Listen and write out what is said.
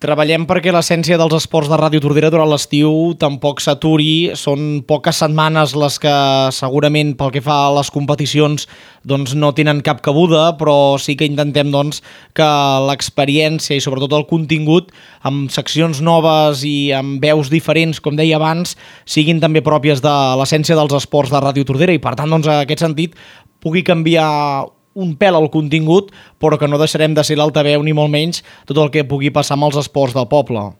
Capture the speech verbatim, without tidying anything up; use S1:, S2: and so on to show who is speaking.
S1: Treballem perquè l'essència dels esports de Ràdio Tordera durant l'estiu tampoc s'aturi. Són poques setmanes les que segurament pel que fa a les competicions doncs no tenen cap cabuda, però sí que intentem doncs, que l'experiència i sobretot el contingut amb seccions noves i amb veus diferents, com deia abans, siguin també pròpies de l'essència dels esports de Ràdio Tordera i per tant doncs, en aquest sentit pugui canviar un pèl al contingut, però que no deixarem de ser l'altaveu ni molt menys tot el que pugui passar amb els esports del poble.